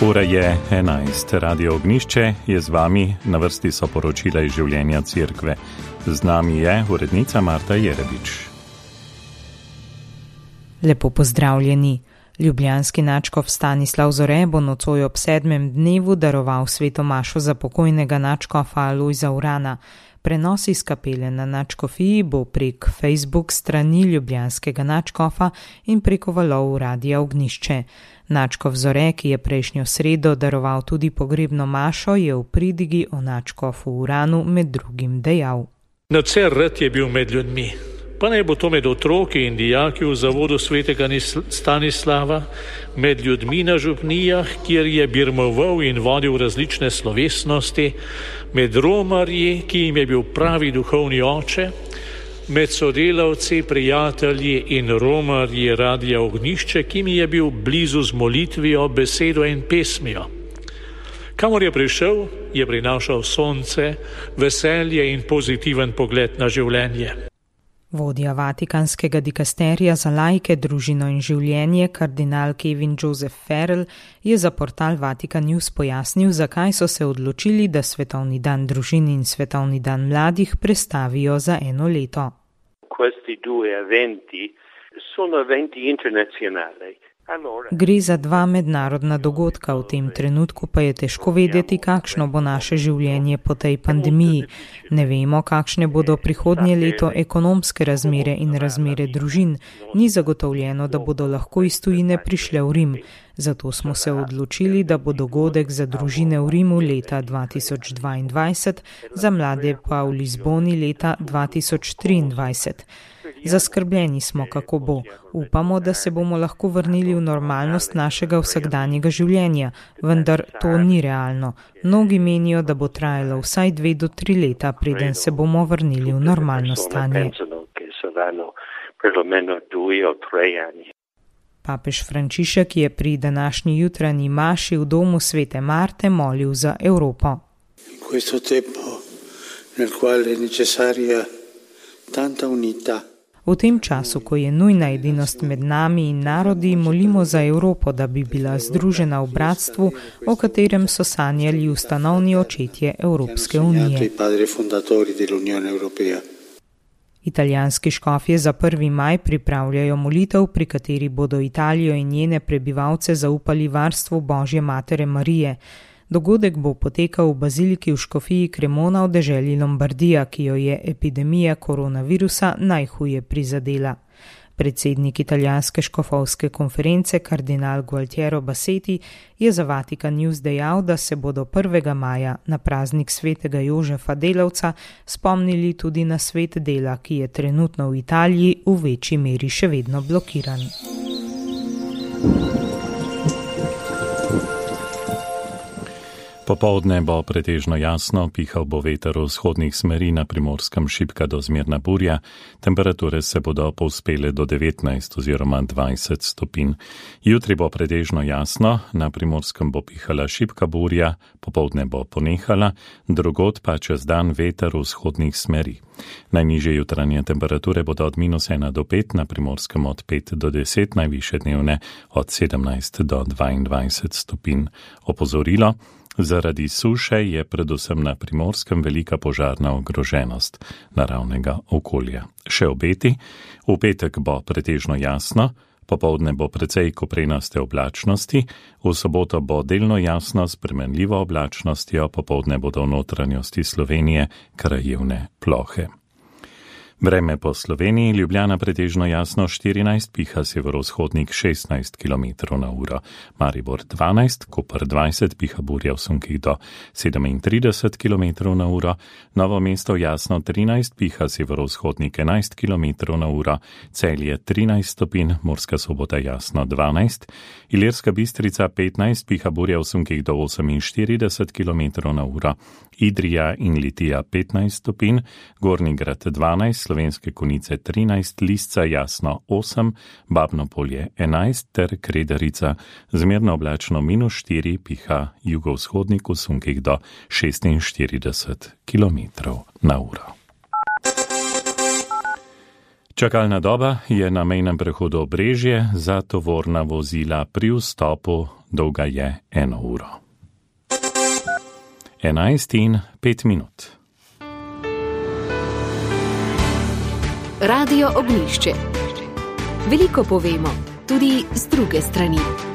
Ura je 11. Radio Ognišče je z vami, na vrsti so poročila iz življenja cerkve. Z nami je urednica Marta Jerebič. Lepo pozdravljeni. Ljubljanski nadškof Stanislav Zore bo nocoj ob 7. dnevu daroval sveto mašo za pokojnega nadškofa Alojza Urana. Prenos iz kapele na nadškofiji bo prek Facebook strani ljubljanskega nadškofa in preko valov Radia Ognišče. Nadškof Zore, ki je prejšnjo sredo daroval tudi pogrebno mašo, je v pridigi o nadškofu Uranu med drugim dejal. Nadvse rad je bil med ljudmi, pa naj bo to med otroki in dijaki v zavodu svetega Stanislava, med ljudmi na župnijah, kjer je birmoval in vodil različne slovesnosti, med romarji, ki jim je bil pravi duhovni oče, med sodelavci, prijatelji in romarji Radia Ognišče, ki mi je bil blizu z molitvijo, besedo in pesmijo. Kamor je prišel, je prinašal sonce, veselje in pozitiven pogled na življenje. Vodja vatikanskega dikasterija za laike, družino in življenje, kardinal Kevin Joseph Farrell, je za portal Vatican News pojasnil, zakaj so se odločili, da Svetovni dan družin in Svetovni dan mladih prestavijo za eno leto. Questi due eventi sono eventi internazionali. Gre za dva mednarodna dogodka, v tem trenutku pa je težko vedeti, kakšno bo naše življenje po tej pandemiji. Ne vemo, kakšne bodo prihodnje leto ekonomske razmere in razmere družin. Ni zagotovljeno, da bodo lahko iz tujine prišle v Rim. Zato smo se odločili, da bo dogodek za družine v Rimu leta 2022, za mlade pa v Lizboni leta 2023. Zaskrbljeni smo, kako bo. Upamo, da se bomo lahko vrnili v normalnost našega vsakdanjega življenja, vendar to ni realno. Mnogi menijo, da bo trajalo vsaj 2 do 3 leta, preden se bomo vrnili v normalno stanje. Papež Frančišek je pri današnji jutranji maši v domu Svete Marte molil za Evropo. V tem času, ko je nujna edinost med nami in narodi, molimo za Evropo, da bi bila združena v bratstvu, o katerem so sanjali ustanovni očetje Evropske unije. Italijanski škofje za 1. maj pripravljajo molitev, pri kateri bodo Italijo in njene prebivalce zaupali varstvu Božje matere Marije. Dogodek bo potekal v baziliki v škofiji Cremona v deželi Lombardija, ki jo je epidemija koronavirusa najhuje prizadela. Predsednik italijanske škofovske konference, kardinal Gualtiero Bassetti, je za Vatican News dejal, da se bodo 1. maja na praznik svetega Jožefa Delavca spomnili tudi na svet dela, ki je trenutno v Italiji v večji meri še vedno blokiran. Popoldne bo pretežno jasno, pihal bo veter v vzhodnih smeri, na Primorskem šibka do zmerna burja, temperature se bodo povzpele do 19 oziroma 20 stopinj. Jutri bo pretežno jasno, na Primorskem bo pihala šibka burja, popoldne bo ponehala, drugod pa čez dan veter v vzhodnih smeri. Najnižje jutranje temperature bodo od -1 do 5, na Primorskem od 5 do 10, najvišje dnevne od 17 do 22 stopinj. Opozorilo: zaradi suše je predvsem na Primorskem velika požarna ogroženost naravnega okolja. Še obeti: v petek bo pretežno jasno, popoldne bo precej koprenaste oblačnosti, v soboto bo delno jasno s spremenljivo oblačnostjo, popoldne bodo v notranjosti Slovenije krajevne plohe. Vreme po Sloveniji: Ljubljana pretežno jasno 14, piha severovzhodnik 16 km/h, Maribor 12, Koper 20, piha burja v sunkih do 37 km/h, Novo mesto jasno 13, piha severovzhodnik 11 km/h, Celje 13 stopinj, Murska Sobota jasno 12, Ilirska Bistrica 15, piha burja v sunkih do 48 km/h, Idrija in Litija 15 stopinj, Gornji Grad 12, Slovenske Konjice 13, Lisca jasno 8, Babno Polje 11 ter Kredarica zmerno oblačno -4, piha jugovzhodnik v sunkih do 46 km/h. Čakalna doba je na mejnem prehodu Obrežje za tovorna vozila pri vstopu dolga je 1 uro. 11:05. Radio Ognjišče. Veliko povemo, tudi z druge strani.